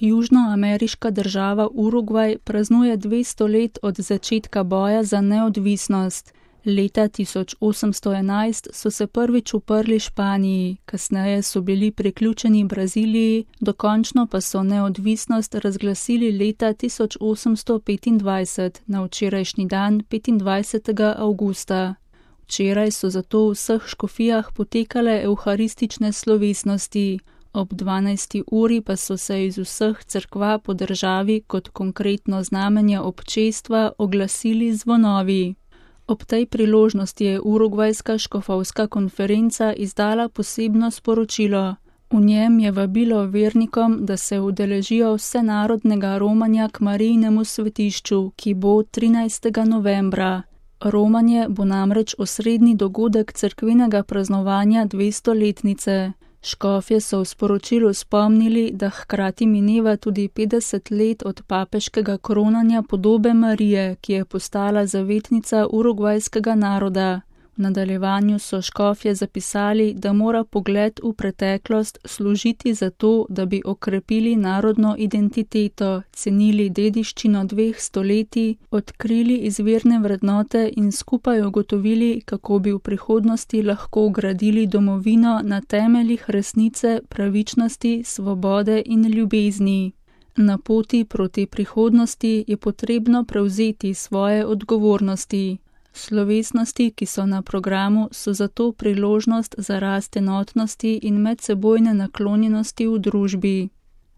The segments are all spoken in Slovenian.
Južnoameriška država Urugvaj praznuje 200 let od začetka boja za neodvisnost. Leta 1811 so se prvič uprli Španiji, kasneje so bili priključeni Braziliji, dokončno pa so neodvisnost razglasili leta 1825, na včerajšnji dan 25. avgusta. Včeraj so zato v vseh škofijah potekale evharistične slovesnosti. Ob 12. uri pa so se iz vseh cerkva po državi kot konkretno znamenje občestva oglasili zvonovi. Ob tej priložnosti je Urugvajska škofovska konferenca izdala posebno sporočilo. V njem je vabilo vernikom, da se udeležijo vsenarodnega romanja k Marijinemu svetišču, ki bo 13. novembra. Romanje bo namreč osrednji dogodek cerkvenega praznovanja 200-letnice. Škofje so v sporočilu spomnili, da hkrati mineva tudi 50 let od papeškega kronanja podobe Marije, ki je postala zavetnica urugvajskega naroda. V nadaljevanju so škofje zapisali, da mora pogled v preteklost služiti za to, da bi okrepili narodno identiteto, cenili dediščino 2 stoletij, odkrili izvirne vrednote in skupaj ugotovili, kako bi v prihodnosti lahko gradili domovino na temeljih resnice, pravičnosti, svobode in ljubezni. Na poti proti prihodnosti je potrebno prevzeti svoje odgovornosti. Slovesnosti, ki so na programu, so zato priložnost za rast enotnosti in medsebojne naklonjenosti v družbi.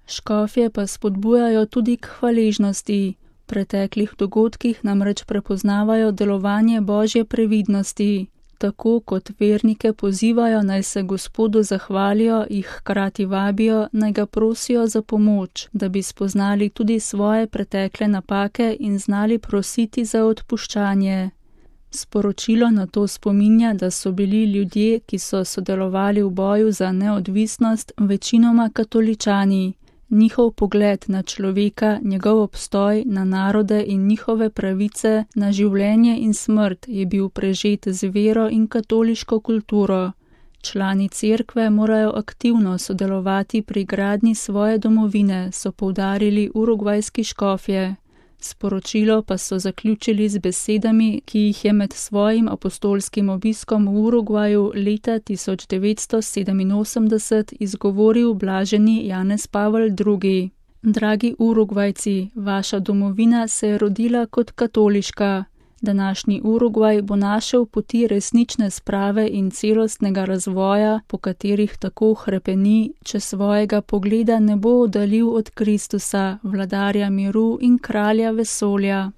Škofje pa spodbujajo tudi k hvaležnosti. V preteklih dogodkih namreč prepoznavajo delovanje Božje previdnosti. Tako kot vernike pozivajo, naj se Gospodu zahvalijo, jih hkrati vabijo, naj ga prosijo za pomoč, da bi spoznali tudi svoje pretekle napake in znali prositi za odpuščanje. Sporočilo na to spominja, da so bili ljudje, ki so sodelovali v boju za neodvisnost, večinoma katoličani. Njihov pogled na človeka, njegov obstoj, na narode in njihove pravice, na življenje in smrt je bil prežet z vero in katoliško kulturo. Člani cerkve morajo aktivno sodelovati pri gradnji svoje domovine, so poudarili urugvajski škofje. Sporočilo pa so zaključili z besedami, ki jih je med svojim apostolskim obiskom v Urugvaju leta 1987 izgovoril blaženi Janez Pavel II. Dragi Urugvajci, vaša domovina se je rodila kot katoliška. Današnji Urugvaj bo našel poti resnične sprave in celostnega razvoja, po katerih tako hrepeni, če svojega pogleda ne bo oddaljil od Kristusa, vladarja miru in kralja vesolja.